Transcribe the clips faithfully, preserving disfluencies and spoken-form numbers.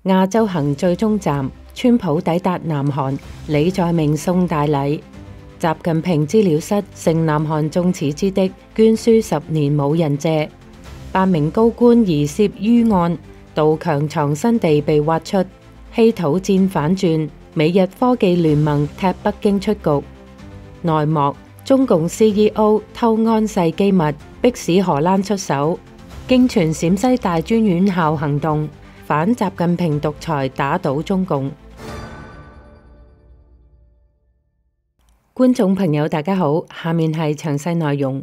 亞洲行最終站，川普抵達南韓，李在明送大禮。習近平資料室成南韓眾矢之的，捐書十年冇人借。八名高官疑涉於案，杜強藏身地被挖出。稀土戰反轉，美日科技聯盟踢北京出局。內幕：中共 C E O 偷安世機密，迫使荷蘭出手。經傳陝西大專院校行動，反習近平獨裁打倒中共。觀眾朋友大家好，下面係詳細內容。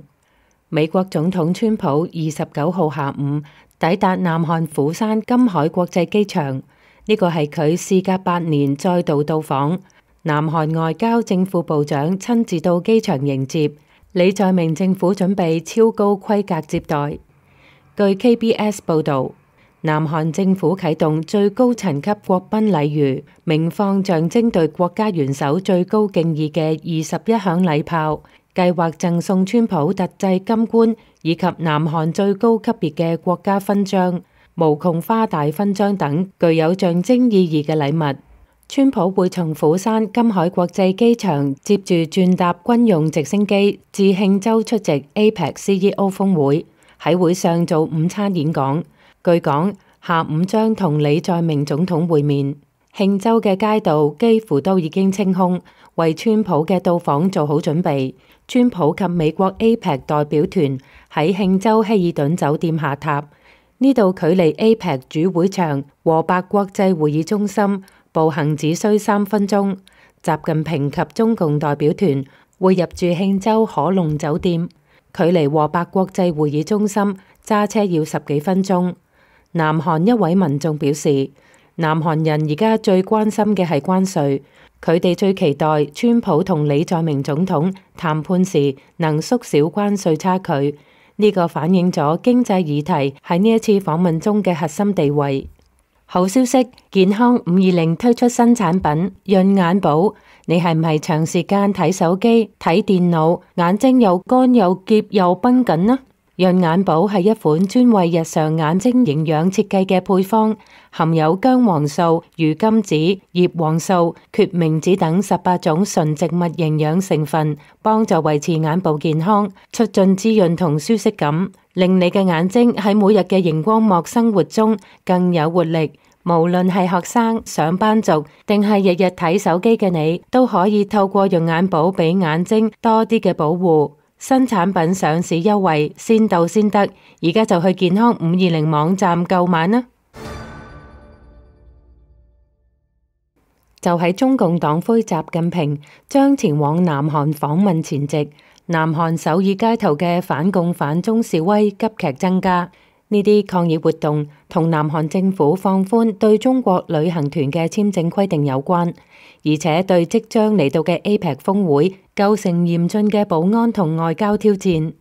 美國總統川普二十九號下午抵達南韓釜山金海國際機場，呢個係佢事隔八年再度到訪。南韓外交正副部長親自到機場迎接，李在明政府準備超高規格接待。據 K B S 報導，南韓政府啟動最高層級國賓禮遇，鳴放象徵對國家元首最高敬意嘅二十一響禮炮，計劃贈送川普特製金冠以及南韓最高級別嘅國家勳章、無窮花大勳章等具有象徵意義嘅禮物。川普會從釜山金海國際機場接住轉搭軍用直升機至慶州出席 A P E C C E O 峰會，喺會上做午餐演講。據講，下午將同李在明總統會面。慶州嘅街道幾乎都已經清空，為川普嘅到訪做好準備。川普及美國 A P E C 代表團喺慶州希爾頓酒店下榻，呢度距離 A P E C 主會場和白國際會議中心步行只需三分鐘。習近平及中共代表團會入住慶州可隆酒店，距離和白國際會議中心揸車要十幾分鐘。南韓一位民眾表示，南韓人而家最關心嘅係關稅，佢哋最期待川普同李在明總統談判時能縮小關稅差距。呢個反映咗經濟議題喺呢一次訪問中嘅核心地位。好消息，健康五二零推出新產品潤眼寶。你係唔係長時間睇手機、睇電腦，眼睛又乾又澀又繃緊呢？潤眼寶係一款專為日常眼睛營養設計嘅配方，含有薑黃素、魚甘子、葉黃素、決明子等十八種純植物營養成分，幫助維持眼部健康，促進滋潤同舒適感，令你嘅眼睛喺每日嘅熒光幕生活中更有活力。無論係學生、上班族，定係日日睇手機嘅你，都可以透過潤眼寶俾眼睛多啲嘅保護。新產品上市優惠，先到先得，而家就去健康五二零網站購買啦！就喺中共黨魁習近平將前往南韓訪問前夕，南韓首爾街頭嘅反共反中示威急劇增加。呢啲抗議活動同南韓政府放寬對中國旅行團嘅簽證規定有關，而且對即將嚟到嘅 A P E C 峰會構成嚴峻嘅保安同外交挑戰。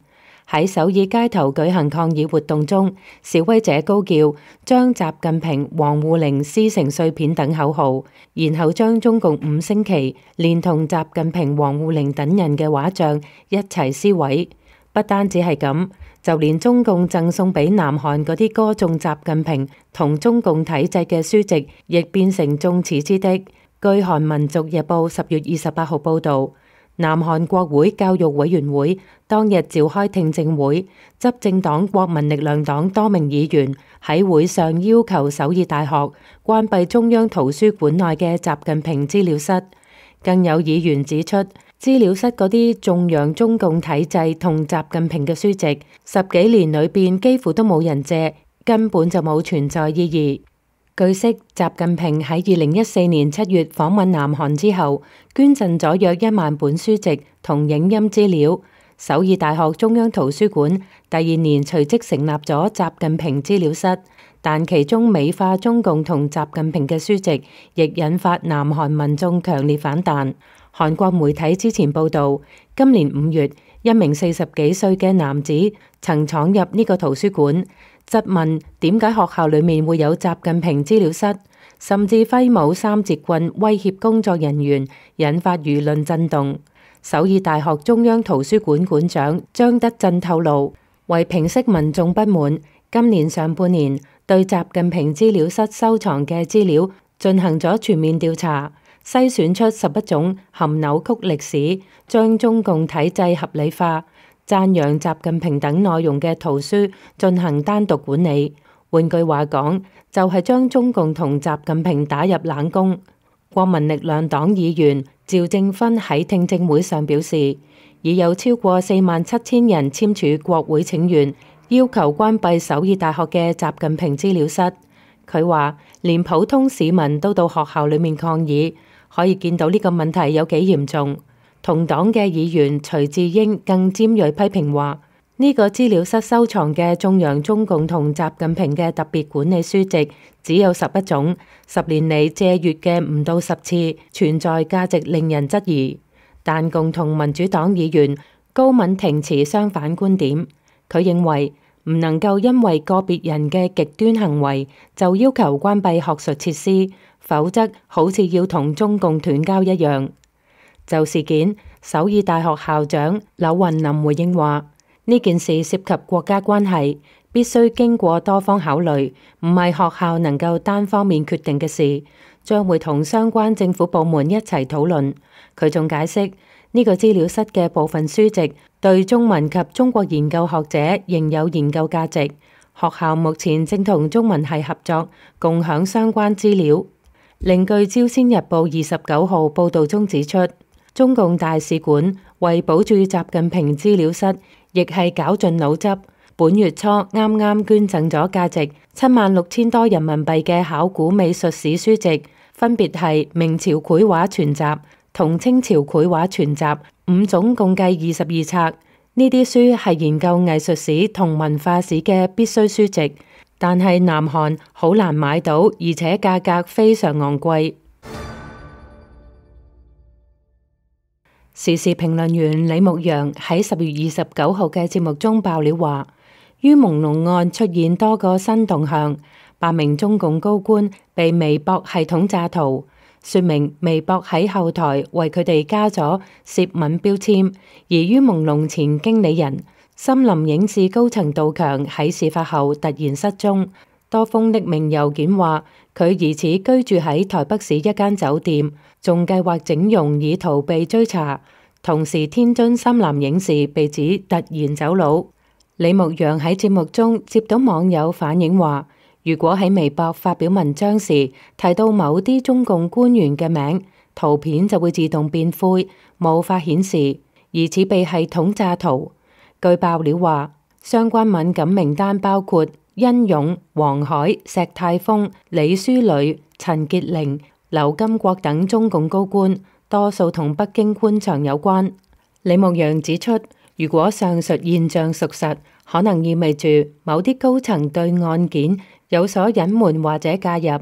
喺首爾街頭舉行抗議活動中，示威者高叫將習近平、王滬寧撕成碎片等口號，然後將中共五星旗連同習近平、王滬寧等人嘅畫像一齊撕毀。不單止係咁，就連中共贈送俾南韓嗰啲歌頌習近平同中共體制嘅書籍，亦變成眾矢之的。據韓民族日報十月二十八號報導，南韓國會教育委員會當日召開聽證會，執政黨國民力量黨多名議員喺會上要求首爾大學關閉中央圖書館內嘅習近平資料室。更有議員指出，資料室嗰啲頌揚中共體制同習近平嘅書籍，十幾年裏邊幾乎都冇人借，根本就冇存在意義。據悉，習近平喺二零一四年七月訪問南韓之後，捐贈咗約一萬本書籍同影音資料。首爾大學中央圖書館第二年隨即成立咗習近平資料室，但其中美化中共同習近平嘅書籍，亦引發南韓民眾強烈反彈。韓國媒體之前報道，今年五月，一名四十幾歲嘅男子曾闖入呢個圖書館，質問點解學校裏面會有習近平資料室，甚至揮舞三節棍威脅工作人員，引發輿論震動。首爾大學中央圖書館館長張德鎮透露，為平息民眾不滿，今年上半年對習近平資料室收藏嘅資料進行咗全面調查，篩選出十一種含扭曲歷史、將中共體制合理化、讚揚習近平等內容嘅圖書進行單獨管理。換句話講，就係將中共同習近平打入冷宮。國民力量黨議員趙正勳喺聽證會上表示，已有超過四萬七千人簽署國會請願，要求關閉首爾大學嘅習近平資料室。佢話，連普通市民都到學校裏面抗議，可以見到呢個問題有幾嚴重。同黨嘅議員徐智英更尖銳批評話，呢個資料室收藏嘅頌揚中共同習近平嘅特別管理書籍只有十一種，十年嚟借閱嘅唔到十次，存在價值令人質疑。但共同民主黨議員高敏婷持相反觀點，佢認為唔能夠因為個別人嘅極端行為就要求關閉學術設施，否則好似要同中共斷交一樣。就事件，首爾大學校長柳雲林回應話，呢件事涉及國家關係，必須經過多方考慮，唔係學校能夠單方面決定嘅事，將會同相關政府部門一齊討論。佢仲解釋，呢個資料室嘅部分書籍對中文及中國研究學者仍有研究價值，學校目前正同中文系合作，共享相關資料。另據《朝鮮日報》二十九號報導中指出，中共大使館為保住習近平資料室，亦係絞盡腦汁。本月初啱啱捐贈咗價值七萬六千多人民幣嘅考古美術史書籍，分別係明朝繪畫全集同清朝繪畫全集，五種共計二十二冊。呢啲書係研究藝術史同文化史嘅必須書籍，但係南韓好難買到，而且價格非常昂貴。時事評論員李牧陽喺十月二十九號嘅節目中爆料話，於朦朧案出現多個新動向，八名中共高官被微博系統詐圖，說明微博喺後台為佢哋加咗涉敏標籤。而於朦朧前經理人森林影視高層杜強喺事發後突然失蹤，多封匿名郵件話佢疑似居住喺台北市一間酒店，仲計劃整容以逃避追查。同時，天津森林影視被指突然走佬。李牧陽喺節目中接到網友反映話，如果喺微博發表文章時提到某啲中共官員嘅名，圖片就會自動變灰，無法顯示，疑似被系統詐圖。據爆料話，相關敏感名單包括殷勇、黃海、石泰峰、李書磊、陳潔玲、劉金國等中共高官，多數同北京官場有關。李牧陽指出，如果上述現象屬實，可能意味住某啲高層對案件有所隱瞞或者介入。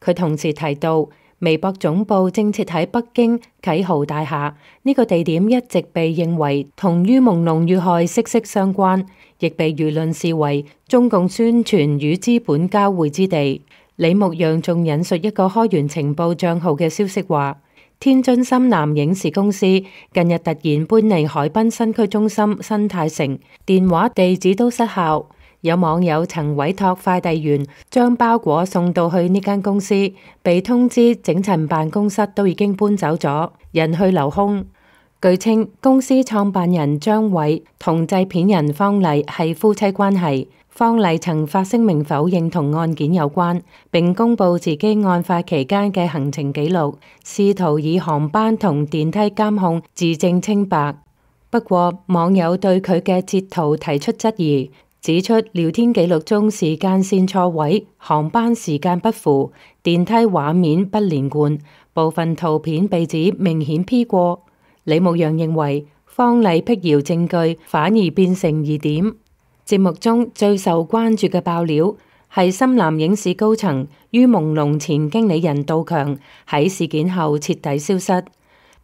佢同時提到，微博總部正設喺北京啟豪大廈，呢個地點一直被認為同於朦朧遇害息息相關，亦被輿論視為中共宣傳與資本交匯之地。李牧陽仲引述一個開源情報賬號嘅消息話，天津深南影視公司近日突然搬離海濱新區中心新泰城，電話地址都失效。有網友曾委託快遞員將包裹送到去呢間公司，被通知整層辦公室都已經搬走咗，人去樓空。據稱，公司創辦人張偉同製片人方麗係夫妻關係。方麗曾發聲明否認同案件有關，並公布自己案發期間嘅行程記錄，試圖以航班同電梯監控自證清白。不過，網友對佢嘅截圖提出質疑，指出聊天記錄中時間線錯位，航班時間不符，電梯畫面不連貫，部分圖片被指明顯 P 過。李牧陽認為，方麗闢謠證據反而變成疑點。節目中最受關注嘅爆料係深南影視高層於朦朧前經理人杜強喺事件後徹底消失。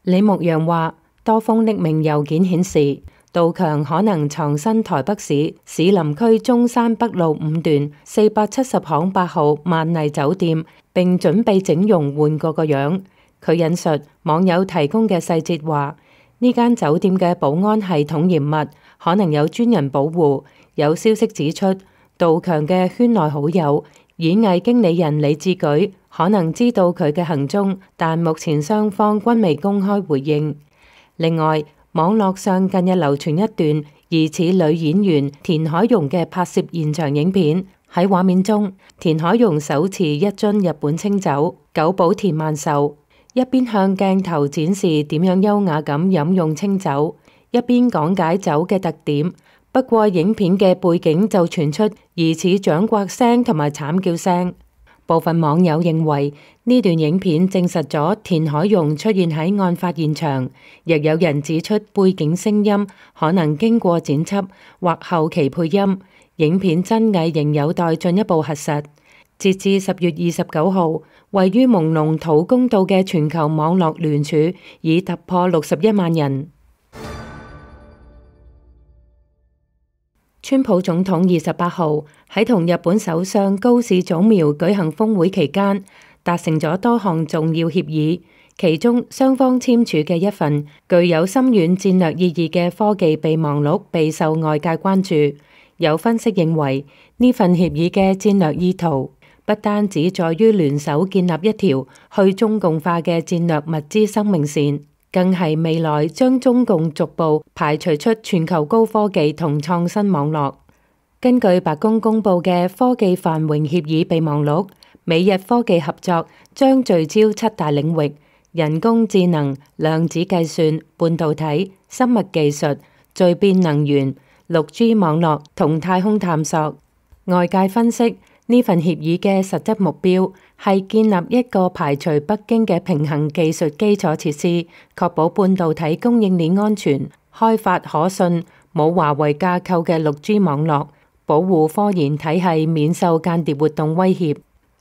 李牧陽話，多封匿名郵件顯示，杜強可能藏身台北市士林區中山北路五段四百七十巷八號萬麗酒店，並準備整容換過個樣。佢引述網友提供嘅細節話，呢間酒店嘅保安系統嚴密，可能有專人保護。有消息指出，杜強嘅圈內好友演藝經理人李志舉可能知道佢嘅行蹤，但目前雙方均未公開回應。另外，網絡上近日流傳一段疑似女演員田海蓉嘅拍攝現場影片。喺畫面中，田海蓉手持一樽日本清酒久保田萬壽，一邊向鏡頭展示點樣優雅咁飲用清酒，一邊講解酒嘅特點。不過影片嘅背景就傳出疑似掌摑聲同埋慘叫聲。部分網友認為呢段影片證實咗田海蓉出現喺案發現場，亦有人指出背景聲音可能經過剪輯或後期配音。影片真偽仍有待進一步核實。截至十月二十九號，位於蒙龍土公道嘅全球網絡聯署已突破六十一萬人。川普總統二十八號喺同日本首相高市早苗舉行峰會期間，達成咗多項重要協議，其中雙方簽署嘅一份具有深遠戰略意義嘅科技備忘錄備受外界關注。有分析認為，呢份協議嘅戰略意圖不單止在於聯手建立一條去中共化嘅戰略物資生命線，更係未來將中共逐步排除出全球高科技同創新網絡。根據白宮公佈嘅科技繁榮協議備忘錄，美日科技合作將聚焦七大領域：人工智能、量子計算、半導體、生物技術、聚變能源、六 G 網絡同太空探索。外界分析，呢份協議嘅實質目標係建立一個排除北京嘅平衡技術基礎設施，確保半導體供應鏈安全，開發可信、冇華為架構嘅六 G 網絡，保護科研體系免受間諜活動威脅。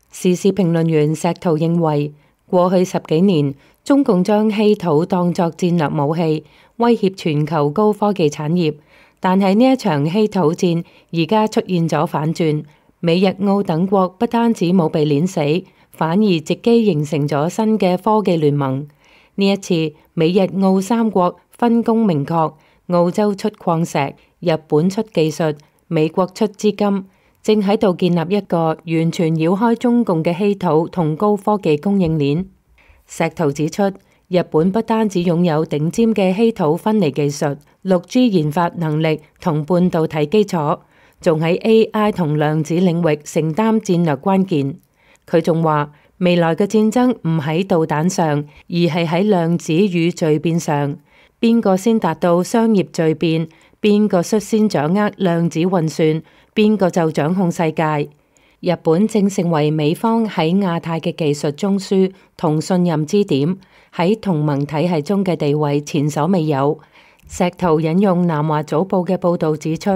時事評論員石濤認為，過去十幾年，中共將稀土當作戰略武器，威脅全球高科技產業。但係呢一場稀土戰而家出現咗反轉，美日澳等國不單止冇被碾死，反而藉機形成咗新嘅科技聯盟。呢一次美日澳三國分工明確，澳洲出礦石，日本出技術，美國出資金，正喺度建立一個完全繞開中共嘅稀土同高科技供應鏈。石濤指出，日本不單止擁有頂尖嘅稀土分離技術、六 G 研發能力同半導體基礎，仲喺 A I 同量子領域承擔戰略關鍵。佢仲話，未來嘅戰爭唔喺導彈上，而係喺量子與聚變上。邊個先達到商業聚變，邊個率先掌握量子運算，邊個就掌控世界。日本正成為美方喺亞太嘅技術中樞同信任支點，喺同盟體系中嘅地位前所未有。石濤引用南華早報嘅報導指出，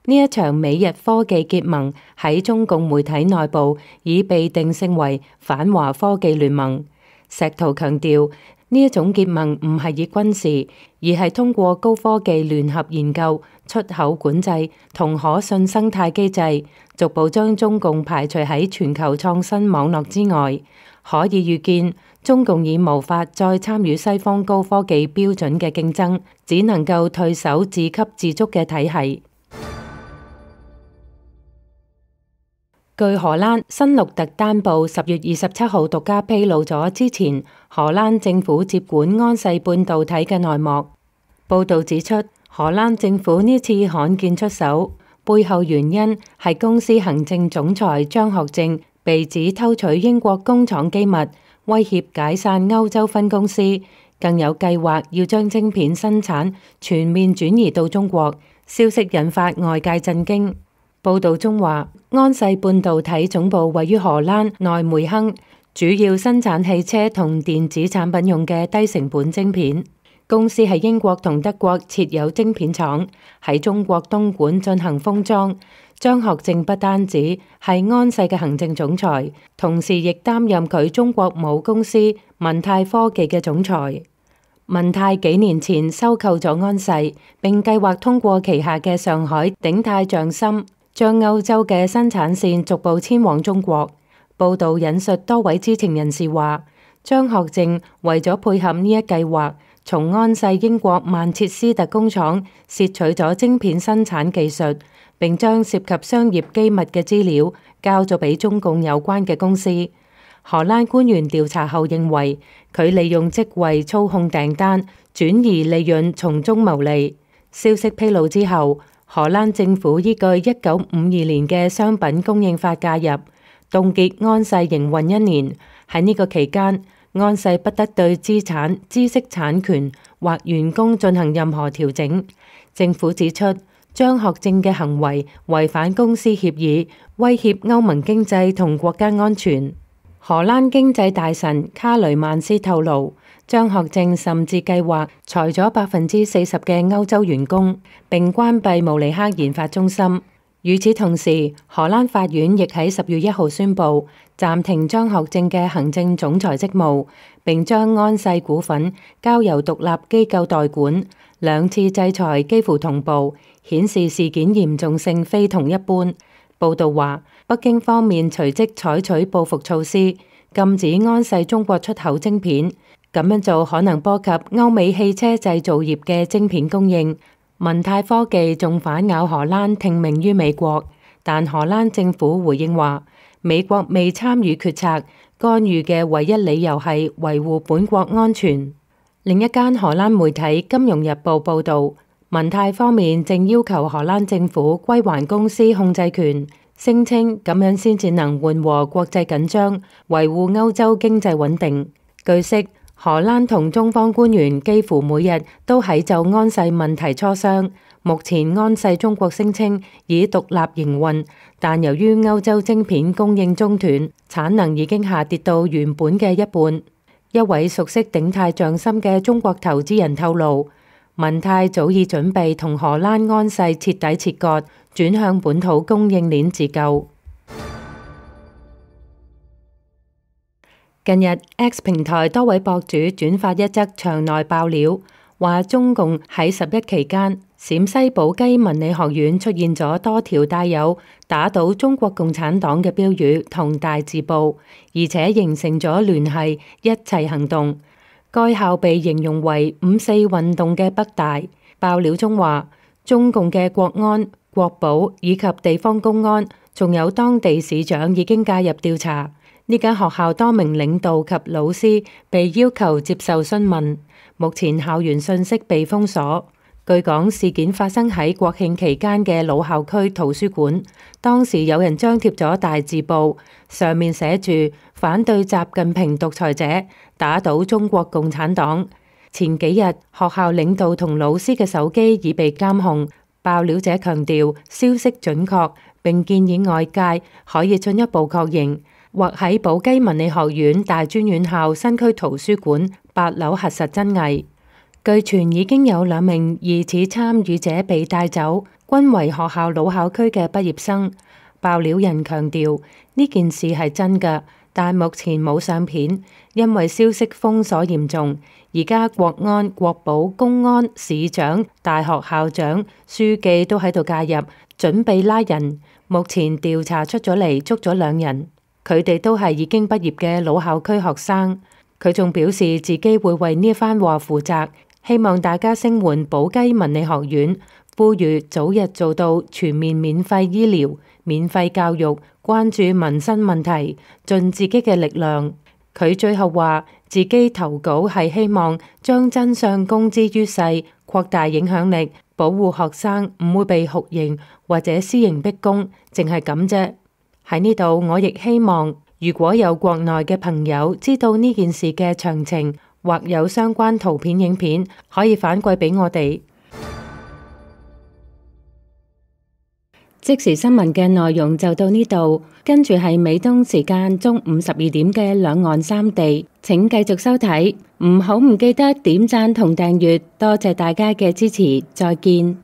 呢一場美日科技結盟喺中共媒體內部已被定性為反華科技聯盟。石濤強調，呢一種結盟唔係以軍事，而係通過高科技聯合研究、出口管制同可信生態機制，逐步將中共排除喺全球創新網絡之外。可以預見，中共已無法再參與西方高科技標準嘅競爭，只能夠退守自給自足嘅體系。據荷蘭新鹿特丹報十月二十七號獨家披露咗之前荷蘭政府接管安世半導體嘅內幕。報導指出，荷蘭政府呢次罕見出手，背後原因係公司行政總裁張學正被指偷取英國工廠機密，威脅解散歐洲分公司，更有計劃要將晶片生產全面轉移到中國。消息引發外界震驚。報道中話，安世半導體總部位於荷蘭內梅亨，主要生產汽車同電子產品用嘅低成本晶片。公司喺英國同德國設有晶片廠，喺中國東莞進行封裝。張學正不單止係安世嘅行政總裁，同時亦擔任佢中國母公司文泰科技嘅總裁。文泰幾年前收購咗安世，並計劃通過旗下嘅上海鼎泰匠心，將歐洲嘅生產線逐步遷往中國。報道引述多位知情人士話，張學正為咗配合呢一計劃，從安世英國曼徹斯特工廠竊取咗晶片生產技術，並將涉及商業機密嘅資料交咗俾中共有關嘅公司。荷蘭官員調查後認為，佢利用職位操控訂單，轉移利潤，從中牟利。消息披露之後，荷蘭政府依據一九五二年嘅商品供應法介入，凍結安世營運一年。喺呢個期間，安世不得對資產、知識產權或員工進行任何調整。政府指出，張學正嘅行為違反公司協議，威脅歐盟經濟同國家安全。荷蘭經濟大臣卡雷曼斯透露，張學正甚至計劃裁咗百分之四十嘅歐洲員工，並關閉慕尼黑研發中心。與此同時，荷蘭法院亦喺十月一號宣布暫停張學正嘅行政總裁職務，並將安世股份交由獨立機構代管。兩次制裁幾乎同步，顯示事件嚴重性非同一般。報道話，北京方面隨即採取報復措施，禁止安世中國出口晶片。咁樣做可能波及歐美汽車製造業嘅晶片供應。文泰科技仲反咬荷蘭聽命於美國，但荷蘭政府回應話，美國未參與決策，干預嘅唯一理由係維護本國安全。另一間荷蘭媒體《金融日報》報導，文泰方面正要求荷蘭政府歸還公司控制權，聲稱咁樣先至能緩和國際緊張，維護歐洲經濟穩定。據悉，荷蘭同中方官員幾乎每日都喺就安世問題磋商。目前安世中國聲稱已獨立營運，但由於歐洲晶片供應中斷，產能已經下跌到原本嘅一半。一位熟悉鼎泰匠心嘅中國投資人透露，文泰早已準備同荷蘭安世徹底切割，轉向本土供應鏈自救。近日 X 平台多位博主轉發一則場內爆料，話中共喺十一期間，陝西寶雞文理學院出現咗多條帶有打倒中國共產黨嘅標語同大字報，而且形成咗聯繫一齊行動。該校被形容為五四運動嘅北大。爆料中話，中共嘅國安、國保以及地方公安，仲有當地市長已經介入調查。呢間學校多名領導及老師被要求接受詢問，目前校園信息被封鎖。據講，事件發生喺國慶期間嘅老校區圖書館，當時有人張貼咗大字報，上面寫住反對習近平獨裁者，打倒中國共產黨。前幾日，學校領導同老師嘅手機已被監控。爆料者強調消息準確，並建議外界可以進一步確認，或喺寶雞文理學院大專院校新區圖書館八樓核實真偽。據傳已經有兩名疑似參與者被帶走，均為學校老校區嘅畢業生。爆料人強調呢件事係真㗎，但目前冇相片，因為消息封鎖嚴重。而家國安、國保、公安、市長、大學校長、書記都喺度介入，準備拉人。目前調查出咗嚟，捉咗兩人，佢哋都係已經畢業嘅老校區學生。佢仲表示自己會為呢番話負責，希望大家聲援寶雞文理學院，呼籲早日做到全面免費醫療、免費教育，關注民生問題，盡自己嘅力量。佢最後話自己投稿係希望將真相公之於世，擴大影響力，保護學生唔會被酷刑或者私刑逼供，淨係咁啫。喺呢度我亦希望，如果有國內嘅朋友知道呢件事嘅詳情，或有相關圖片影片，可以反饋俾我哋。即時新聞嘅內容就到呢度，跟住係美東時間中午十二點嘅兩岸三地，請繼續收睇，唔好唔記得點讚同訂閱，多謝大家嘅支持，再見。